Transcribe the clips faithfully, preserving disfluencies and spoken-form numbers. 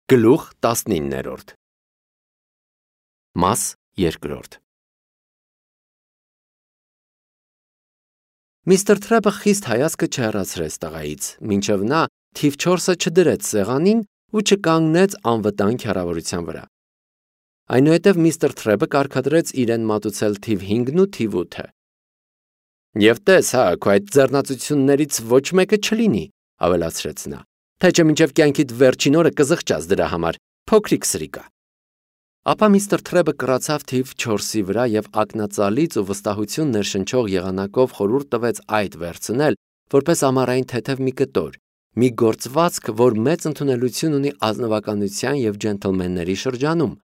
Գլուխ տասնիններորդ Մաս երկրորդ Միստր Թրեբը խիստ հայացքը չհեռացրեց տղայից, մինչև նա թիվ չորսը չդրեց սեղանին ու չկանգնեց անվտանգ հեռավորության վրա։ Այնուհետև միստր Թրեբը կարգադրեց իրեն մատուցել թիվ հինգն ու թիվ ութը։ Եվ տես, հա, քո այդ ձեռնացություններից ոչ մեկը չլինի, ավելացրեց նա, թե չէ մինչև կյանքիդ վերջին օրը կզղջաս դրա համար, փոքրիկ սրիկա։ Ապա միստր Թրեբը կռացավ թիվ չորսի վրա և ակնածալից ու վստահություն ներշնչող եղանակով խորհուրդ տվեց այդ վերցնել, որպես ամառային թեթև մի կտոր, մի գործվածք, որ մեծ ընդունելություն ունի ազնվականության և ջենթլմենների շրջանում,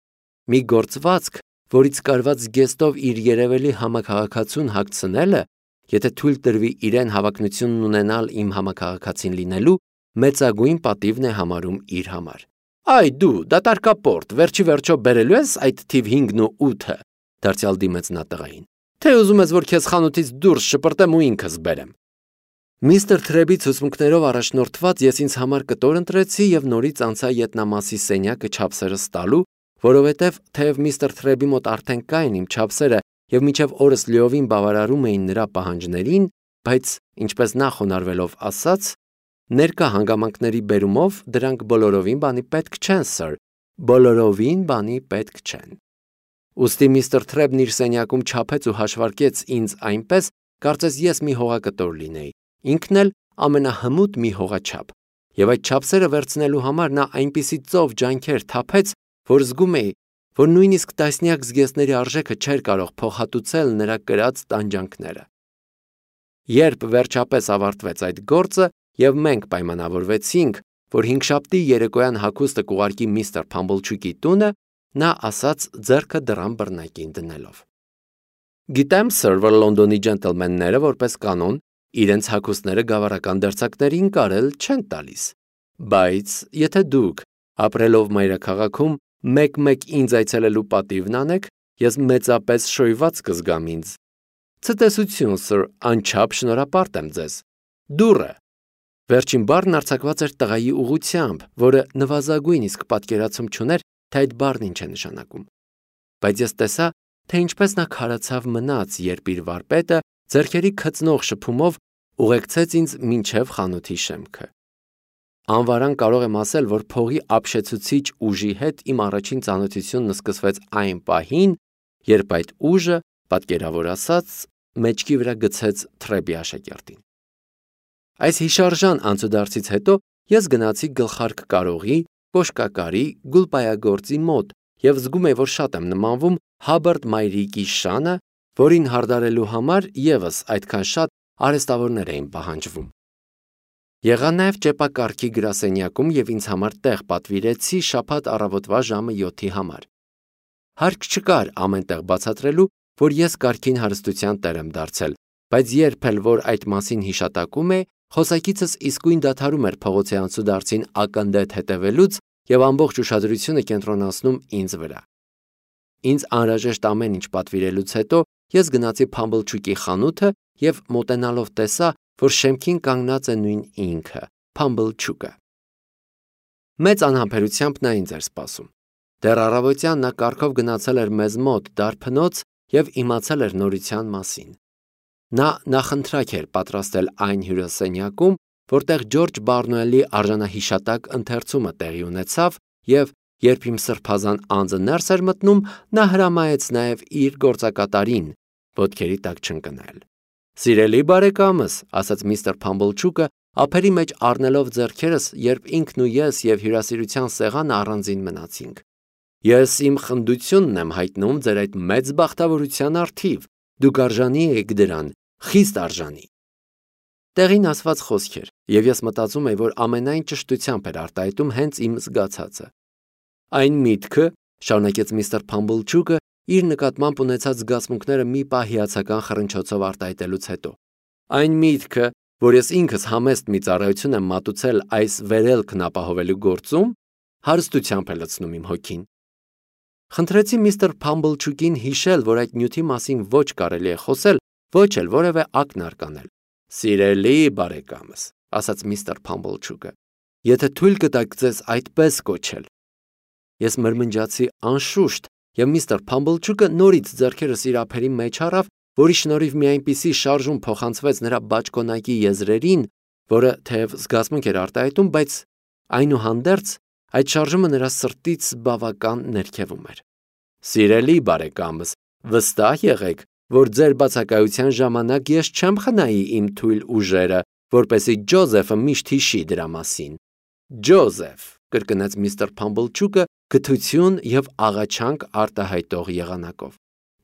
մի գործվածք, որից կարված զգեստով իր երևելի համաքաղաքացուն հագցնելը, եթե թույլ տրվի իրեն հավակնությունն ունենալ իմ համաքաղաքացին լինելու, մեծագույն պատիվն է համարում իր համար։ Այ դու, դատարկապորտ, վերջի վերջո բերելու ես այդ թիվ հինգն ու ութը, դարձյալ դիմեց նա տղային, թե ուզում ես, որ քեզ խանութից դուրս շպրտեմ ու ինքս բերեմ։ Միստր Թրեբի ցուցմունքներով առաջնորդված ես ինձ համար կտոր ընտրեցի և նորից անցա ետնամասի սենյակը չափսերս տալու, որովհետև թեև միստր Թրեբի մոտ արդեն կային իմ չափսերը և մինչև օրս լիովին բավարարում էին նրա պահանջներին, բայց, ինչպես նա խոնարհվելով ասաց, ներկա հանգամանքների բերումով դրանք բոլորովին բանի պետք չեն, սըր, բոլորովին բանի պետք չեն։ Ուստի միստր Թրեբն իր սենյակում չափեց ու հաշվարկեց ինձ այնպես, կարծես ես մի հողակտոր լինեի, ինքն էլ ամենահմուտ մի հողաչափ, և այդ չափսերը վերցնելու համար նա այնպիսի ծով ջանքեր թափեց, որ զգում էի, որ նույնիսկ տասնյակ զգեստների արժեքը չէր կարող փոխհատուցել նրա կրած տանջանքները։ Երբ վերջապես ավարտվեց այդ գործը և մենք պայմանավորվեցինք, որ հինգշաբթի երեկոյան հագուստը կուղարկի միստր Փամբլչուկի տունը, նա ասաց ձեռքը դռան բռնակին դնելով. Գիտեմ, սըր, որ Լոնդոնի ջենթլմենները որպես կանոն իրենց հագուստները գավառական դերձակներին կարել չեն տալիս, բայց եթե դուք, ապրելով մայրաքաղաքում, մեկ-մեկ ինձ այցելելու պատիվն անեք, ես մեծապես շոյված կզգամ ինձ։ Ցտեսություն, սըր, անչափ շնորհապարտ եմ ձեզ։ Դուռը։ Վերջին բառն արձակված էր տղայի ուղղությամբ, որը նվազագույն իսկ պատկերացում չուներ, թե այդ բառն ինչ է նշանակում։ Բայց ես տեսա, թե ինչպես նա քարացավ մնաց, երբ իր վարպետը ձեռքերի քծնող շփումով ուղեկցեց ինձ մինչև խանութի շեմքը։ Անվարան կարող եմ ասել, որ փողի ապշեցուցիչ ուժի հետ իմ առաջին ծանոթությունն սկսվեց այն պահին, երբ այդ ուժը, պատկերավոր ասած, մեջքի վրա գցեց Թրեբի աշակերտին։ Այս հիշարժան անցուդարձից հետո ես գնացի գլխարկ կարողի, կոշկակարի, գուլպայագործի մոտ և զգում էի, որ շատ եմ նմանվում Հաբարդ մայրիկի շանը, որին հարդարելու համար ևս այդքան շատ արհեստավորներ էին պահանջվում։ Եղա նաև ճեպակառքի գրասենյակում և ինձ համար տեղ պատվիրեցի շաբաթ առավոտվա ժամը յոթի համար։ Հարկ չկար ամեն տեղ բացատրելու, որ ես կարգին հարստության տեր եմ դարձել, բայց երբ էլ որ այդ մասին հիշատակում է, խոսակիցս իսկույն դադարում էր փողոցի անցուդարձին ակնթեթ հետևելուց և ամբողջ ուշադրությունը կենտրոնացնում ինձ վրա։ Ինձ անհրաժեշտ ամեն ինչ պատվիրելուց հետո ես գնացի Փամբլչուկի խանութը և մոտենալով տեսա, որ շեմքին կանգնած է նույն ինքը, Փամբլչուկը։ Մեծ անհամբերությամբ նա ինձ էր սպասում։ Դեռ առավոտյան նա կառքով գնացել էր մեզ մոտ դարբնոց և իմացել էր նորության մասին։ Նա նախընտրակ էր պատրաստել այն հյուրասենյակում, որտեղ Ջորջ Բարնոելի արժանահիշատակ ընթերցումը տեղի ունեցավ, և երբ իմ սրբազան անձը ներս էր մտնում, նա հրամայեց նաև իր գործակատարին ոտքերի տակ չընկնել։ Սիրելի բարեկամս, ասաց միստր Փամբլչուկը, ափերի մեջ առնելով ձեռքերս, երբ ինքն ու ես և հյուրասիրության սեղանը առանձին մնացինք։ Ես իմ խնդությունն եմ հայտնում ձեր այդ մեծ բախտավորության առթիվ, դուք արժանի եք դրան, խիստ արժանի։ Տեղին ասված խոսքեր, և ես մտածում էի, որ ամենայն ճշտությամբ էր արտահայտում հենց իմ զգացածը։ Այն միտքը, շարունակեց միստր Փամբլչուկը, իր նկատմամբ ունեցած զգացմունքները մի պահ հիացական խռնչոցով արտահայտելուց հետո, այն միտքը, որ ես ինքս համեստ մի ծառայություն եմ մատուցել այս վերելքն ապահովելու գործում, հարստությամբ է լցնում իմ հոգին։ Խնդրեցի միստր Փամբլչուկին հիշել, որ այդ նյութի մասին ոչ կարելի է խոսել, ոչ էլ որևէ ակնարկ անել։ Սիրելի բարեկամս, ասաց միստր Փամբլչուկը, եթե թույլ կտաք ձեզ այդպես կոչել, Ես մրմնջացի անշուշտ, եւ միստր Փամբլչուկը նորից ձեռքերս իր ափերի մեջ առավ, որի շնորհիվ մի այնպիսի շարժում փոխանցվեց նրա բաճկոնակի եզրերին, որը թեև զգացմունք էր արտահայտում, բայց այնուհանդերձ այդ շարժումը նրա սրտից բավական ներքևում էր։ Սիրելի բարեկամս, վստահ եղեք, որ ձեր բացակայության ժամանակ ես չեմ խնայի իմ թույլ ուժերը, որպեսզի Ջոզեֆը միշտ հիշի դրա մասին։ Ջոզեֆ, կրկնեց միստր Փամբլչուկը գթություն եւ աղաչանք արտահայտող եղանակով։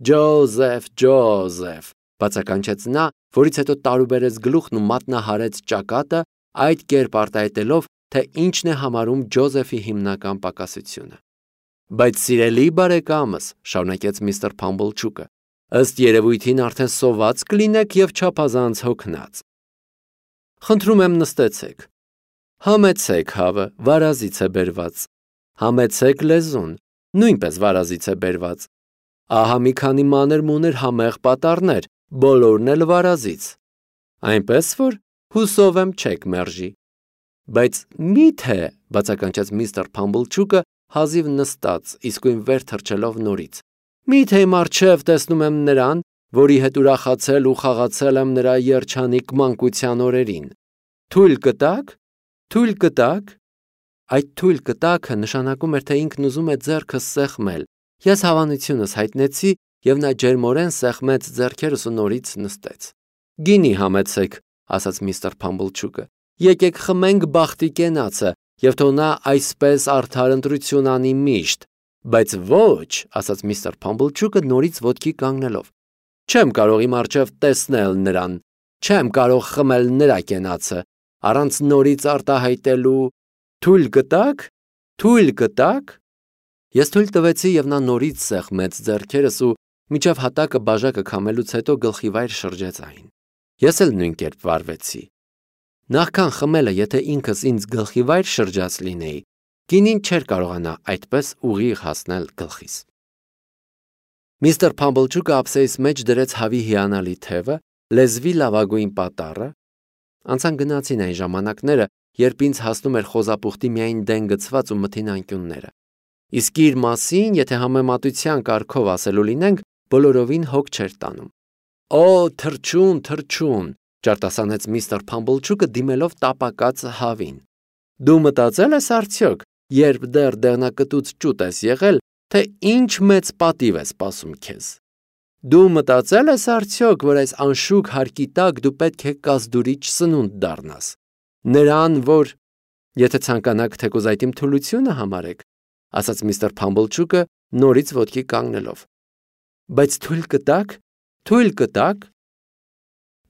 Ջոզեֆ, Ջոզեֆ, բացականչեց նա, որից հետո տարուբերեց գլուխն ու մատնահարեց ճակատը, այդ կերպ արտահայտելով, թե ինչն է համարում Ջոզեֆի հիմնական պակասությունը։ Բայց սիրելի բարեկամս, շարունակեց միստր Փամբլչուկը, ըստ երևույթին արդեն սոված կլինեք եւ չափազանց հոգնած։ Խնդրում եմ նստեցեք։ Համեցեք հավը, վարազից է բերված։ Համեցեք լեզուն, նույնպես վարազից է բերված։ Ահա մի քանի մանր-մուներ համեղ պատառներ, բոլորն էլ վարազից։ Այնպես որ հուսով եմ չեք մերժի։ Բայց մի՞թե, բացականչեց միստր Փամբլչուկը հազիվ նստած, իսկույն վեր թռչելով նորից։ Մի՞թե իմ առջև տեսնում եմ նրան, որի հետ ուրախացել ու խաղացել եմ նրա երջանիկ մանկության օրերին։ Թույլ կտաք։ Թույլ կտաք։ Այդ թույլ կտաքը նշանակում էր, թե ինքն ուզում է ձեռքը սեղմել։ Ես հավանությունս հայտնեցի, եւ նա ջերմորեն սեղմեց ձեռքերս ու նորից նստեց։ Գինի համեցեք, ասաց միստր Փամբլչուկը։ Եկեք խմենք բախտի կենացը, եւ թող նա այսպես արդար ընտրություն անի միշտ։ Բայց ոչ, ասաց միստր Փամբլչուկը նորից ոտքի կանգնելով։ Չեմ կարող իմ առջև տեսնել նրան։ Չեմ կարող խմել նրա կենացը, առանց նորից արտահայտելու։ Թույլ կտաք։ Թույլ կտաք։ Ես թույլ տվեցի եւ նա նորից սեղմեց ձեռքերս ու միջև հատակը բաժակը քամելուց հետո գլխիվայր շրջեց այն։ Ես էլ նույն կերպ վարվեցի։ Նախքան խմելը, եթե ինքս ինձ գլխիվայր շրջած լինեի, գինին չէր կարողանա այդպես ուղիղ հասնել գլխիս։ Միստր Փամբլչուկը ափսեիս մեջ դրեց հավի հիանալի թևը, լեզվի լավագույն պատառը։ Անցան գնացին այն ժամանակները, երբ ինձ հասնում էր խոզապուխտի միայն դեն գցված ու մթին անկյունները։ Իսկ իր մասին, եթե համեմատության կարգով ասելու լինենք, բոլորովին հոգ չէր տանում։ Օ, թրջուն, թրջուն, ջարտասանեց միստր Փամբլչուկը դիմելով տապակած հավին։ Դու մտածել ես արդյոք, երբ դեռ դեղնակտուց ճուտ ես եղել, թե ինչ մեծ պատիվ է սպասում քեզ։ Դու մտածել ես արդյոք, որ այս անշուք հարկի տակ դու պետք է կազդուրիչ սնունդ դառնաս։ Նրան, որ եթե ցանկանաք թեկուզ այդ իմ թուլությունը համարեք, ասաց միստր Փամբլչուկը նորից ոտքի կանգնելով։ Բայց թույլ կտաք, թույլ կտաք։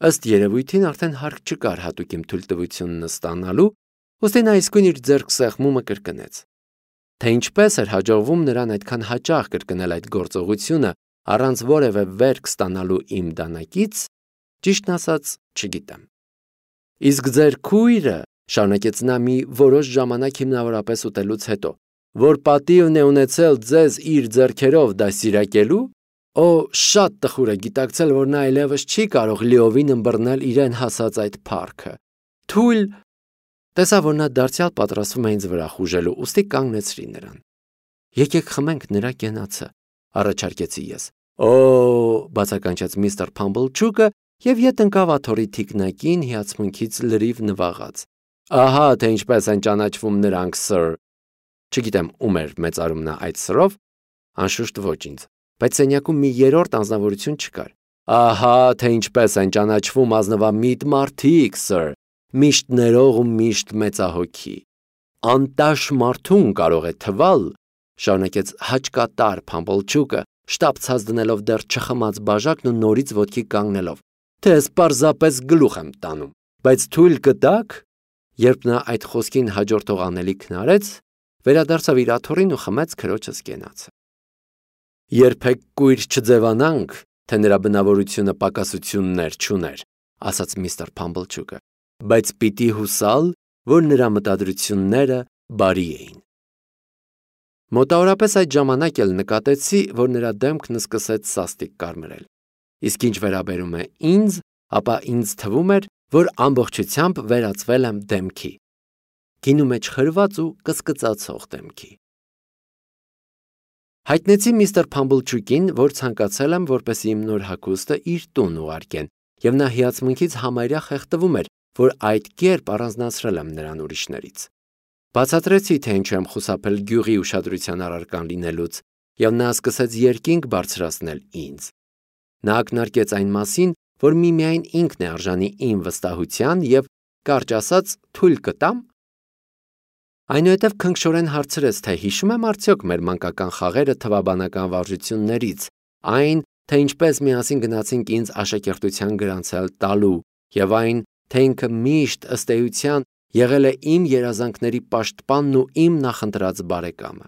Ըստ երևույթին արդեն հարկ չկար հատուկ իմ թույլտվությունն ստանալու, ուստի նա իսկույն իր ձեռք սեղմումը կրկնեց։ Թե ինչպես էր հաջողվում նրան այդքան հաճախ կրկնել այդ գործողությունը առանց որևէ վերք ստանալու իմ դանակից, ճիշտն ասած, չգիտեմ։ Իսկ ձեր քույրը, շարունակեց նա մի որոշ ժամանակ հիմնավորապես ուտելուց հետո, որ պատիվն է ունեցել ձեզ իր ձեռքերով դաստիարակելու, օ, շատ տխուր է գիտակցել, որ նա այլևս չի կարող լիովին ըմբռնել իրեն հասած այդ փառքը։ Թույլ տեսա, որ նա դարձյալ պատրաստվում է ինձ վրա խուժելու, ուստի կանգնեցրի նրան։ Եկեք խմենք նրա կենացը, առաջարկեցի ես։ Օ, բացականչեց միստր Փամբլչուկը եւ ետ ընկավ աթոռի թիկնակին հիացմունքից լրիվ նվաղած։ Ահա թե ինչպես են ճանաչվում նրանք, սըր։ Չգիտեմ ում էր մեծարում նա այդ սրով, անշուշտ ոչ ինձ, բայց սենյակում մի երրորդ անձնավորություն չկար։ Ահա թե ինչպես են ճանաչվում ազնվամիտ մարդիկ, սըր, միշտ ներող ու միշտ մեծահոգի։ Անտաշ մարդուն կարող է թվալ, շարունակեց հաճկատար Փամբլչուկը, շտապցած դնելով դեռ չխմած բաժակն ու նորից ոտքի կանգնելով, թե ես պարզապես գլուխ եմ տանում, բայց թույլ կտաք։ Երբ նա այդ խոսքին հաջորդող անելիքն արեց, վերադարձավ իր աթոռին ու խմեց քրոջս կենացը։ Երբեք կույր չձևանանք, թե նրա բնավորությունը պակասություններ չուներ, ասաց միստր Փամբլչուկը, բայց պիտի հուսալ, որ նրա մտադրությունները բարի էին։ Մոտավորապես այդ ժամանակ էլ նկատեցի, որ նրա դեմքն սկսեց սաստիկ կարմրել։ Իսկ ինչ վերաբերում է ինձ, ապա ինձ թվում էր, որ ամբողջությամբ վերածվել եմ դեմքի, գինու մեջ խրված ու կսկծացող դեմքի։ Հայտնեցի միստր Փամբլչուկին, որ ցանկացել եմ, որպեսզի իմ նոր հագուստը իր տուն ուղարկեն, եւ նա հիացմունքից համարյա խեղդվում էր, որ այդ կերպ առանձնացրել եմ նրան ուրիշներից։ Բացատրեցի, թե ինչու եմ խուսափել գյուղի ուշադրության առարկան լինելուց, եւ նա սկսեց երկինք բարձրացնել ինձ։ Նա ակնարկեց այն մասին, որ միմիայն ինքն է արժանի իմ վստահության եւ, կարճ ասած, թույլ կտամ։ Այնուհետև քնքշորեն հարցրեց, թե հիշում եմ արդյոք մեր մանկական խաղերը թվաբանական վարժություններից, այն, թե ինչպես միասին գնացինք ինձ աշակերտության գրանցել տալու, եւ այն, թե ինքը միշտ ըստ էության եղել է իմ երազանքների պաշտպանն ու իմ նախընտրած բարեկամը։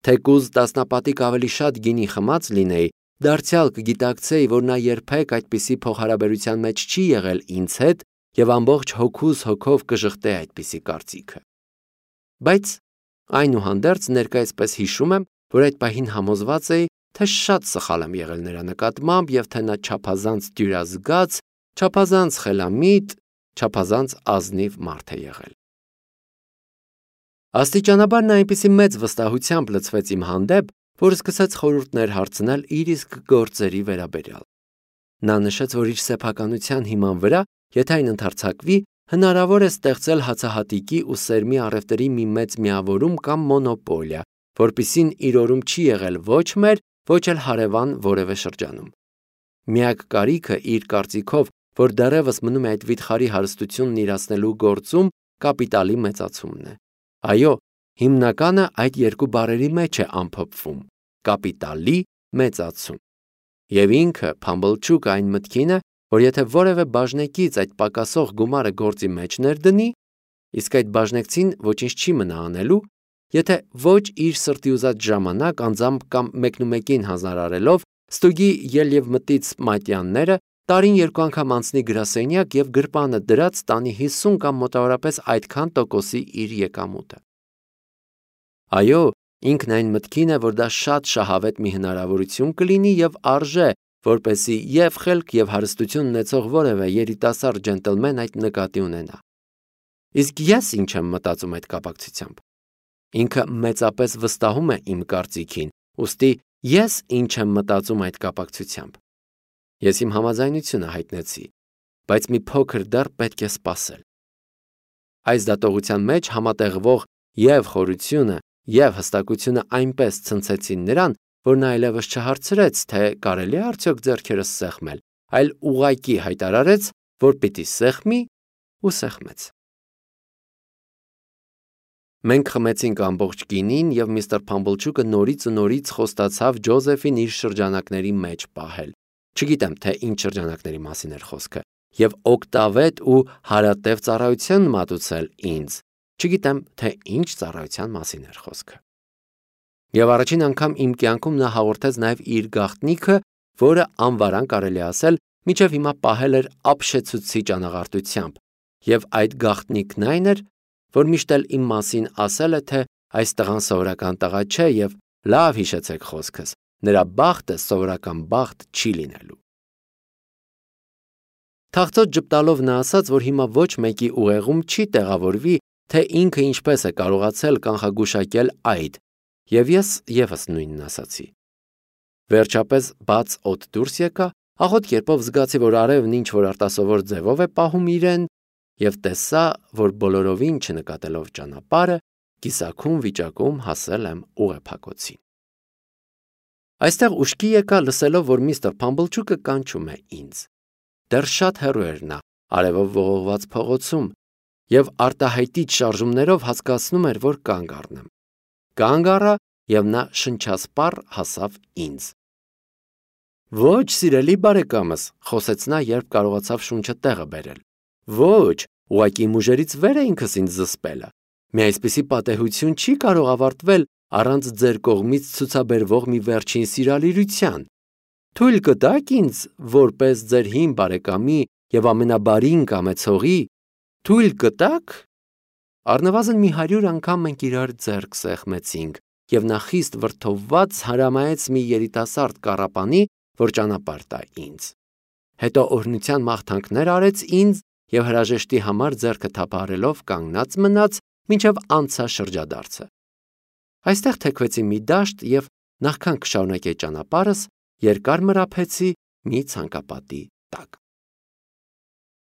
Թեկուզ տասնապատիկ ավելի շատ գինի խմած լինեի, դարձյալ կգիտակցեի, որ նա երբեք այդպիսի փոխհարաբերության մեջ չի եղել ինձ հետ եւ ամբողջ հոգուս հոգով կժղտե այդպիսի կարծիքը։ Բայց այնուհանդերձ ներկայացպես հիշում եմ, որ այդ պահին համոզված էի, թե շատ սխալ եմ եղել նրա նկատմամբ եւ թե նա չափազանց դյուրազգաց, չափազանց խելամիտ, չափազանց ազնիվ մարդ է եղել։ Աստիճանաբար նա այնպիսի մեծ վստահությամբ լցվեց իմ հանդեպ, որ սկսեց խորհուրդներ հարցնել իր իսկ գործերի վերաբերյալ։ Նա նշեց, որ իր սեփականության հիման վրա, եթե այն ընդարձակվի, հնարավոր է ստեղծել հացահատիկի ու սերմի առևտրի մի մեծ միավորում կամ մոնոպոլիա, որպիսին իր օրում չի եղել ոչ մեր, ոչ էլ հարևան որևէ շրջանում։ Միակ կարիքը իր կարծիքով, որ դեռևս մնում է այդ վիթխարի հարստությունն իրացնելու գործում, կապիտալի մեծացումն է։ Այո, հիմնականը այդ երկու բառերի մեջ է ամփոփվում՝ կապիտալի մեծացում։ Եվ ինքը Փամբլչուկը այն մտքին է, որ եթե որևէ բաժնեկից այդ պակասող գումարը գործի մեջ ներդնի, իսկ այդ բաժնեկցին ոչինչ չի մնա անելու, եթե ոչ իր սրտի ուզած ժամանակ անձամբ կամ մեկնումեկին հանձնարարելով ստուգի ել եւ մտից մատյանները, տարին երկու անգամ անցնի գրասենյակ եւ գրպանը դրած տանի հիսուն կամ մոտավորապես այդքան տոկոսի իր եկամուտը։ Այո, ինքն այն մտքին է, որ դա շատ շահավետ մի հնարավորություն կլինի եւ արժե, որպեսզի եւ խելք եւ հարստություն ունեցող որևէ երիտասարդ ջենտլմեն այդ նկատի ունենա։ Իսկ ես ինչ եմ մտածում այդ կապակցությամբ։ Ինքը մեծապես վստահում է իմ կարծիքին, ուստի ես ինչ եմ մտածում այդ կապակցությամբ։ Ես իմ համաձայնությունը հայտնեցի, բայց մի փոքր դեռ պետք է սպասել։ Այս դատողության մեջ համատեղվող եւ խորությունը եւ հստակությունը այնպես ցնցեցին նրան, որ նա այլևս չհարցրեց, թե կարելի է արդյոք ձեռքերս սեղմել, այլ ուղղակի հայտարարեց, որ պիտի սեղմի ու սեղմեց։ Մենք խմեցինք ամբողջ գինին եւ միստր Փամբլչուկը նորից ու նորից խոստացավ Ջոզեֆին իր շրջանակների մեջ պահել։ Չգիտեմ, թե ինչ շրջանակների մասին էր խոսքը, եւ օկտավետ ու հարատև ծառայություն մատուցել ինձ։ Չգիտեմ, թե ինչ ծառայության մասին էր խոսքը։ Եվ առաջին անգամ իմ կյանքում նա հաղորդեց նաև իր գաղտնիքը, որը անվարան կարելի ասել, մինչև հիմա պահել էր ապշեցուցիչ անաղարտությամբ, եւ այդ գաղտնիքն այն էր, որ միշտ էլ իմ մասին ասել է, թե այս տղան սովորական տղա չէ եւ լավ հիշեցեք խոսքս, նրա բախտը սովորական բախտ չի լինելու։ Թախծոտ ճպտալով նա ասաց, որ հիմա ոչ մեկի ուղեղում չի տեղավորվի, թե ինքը ինչպես է կարողացել կանխագուշակել այդ, եւ ես եւս նույնն ասացի։ Վերջապես բաց օդ դուրս եկա, աղոտ կերպով զգացի, որ արևն ինչ որ արտասովոր ձևով է պահում իրեն, եւ տեսա, որ բոլորովին չնկատելով ճանապարհը, կիսաքուն վիճակում հասել եմ ուղեփակոցին։ Այստեղ ուշքի եկա, լսելով, որ միստր Փամբլչուկը կանչում է ինձ։ Դեռ շատ հեռու էր նա, արևով ողողված փողոցում, եւ արտահայտիչ շարժումներով հասկացնում էր, որ կանգ առնեմ։ Կանգ առա, եւ նա շնչասպառ հասավ ինձ։ Ոչ, սիրելի բարեկամս, խոսեց նա, երբ կարողացավ շունչը տեղը բերել։ Ոչ, ուղղակի մուժերից վեր է ինքս ինձ զսպելը։ Մի այսպիսի պատեհություն չի կարող ավարտվել առանց ձեր կողմից ցուցաբերվող մի վերջին սիրալիրության։ Թույլ կտաք ինձ, որպես ձեր հին բարեկամի եւ ամենաբարին կամեցողի, թույլ կտաք։ Առնվազն մի հարյուր անգամ մենք իրար ձեռք սեղմեցինք, եւ նա խիստ վրդովված հրամայեց մի երիտասարդ կառապանի, որ ճանապարհ տա ինձ։ Հետո օրհնության մաղթանքներ արեց ինձ եւ հրաժեշտի համար ձեռքը թափահարելով կանգնած մնաց, մինչև անցա շրջադարձը։ Այստեղ թեքվեցի մի դաշտ եւ Նախքան կշարունակեի ճանապարհս, երկար մրափեցի մի ցանկապատի տակ։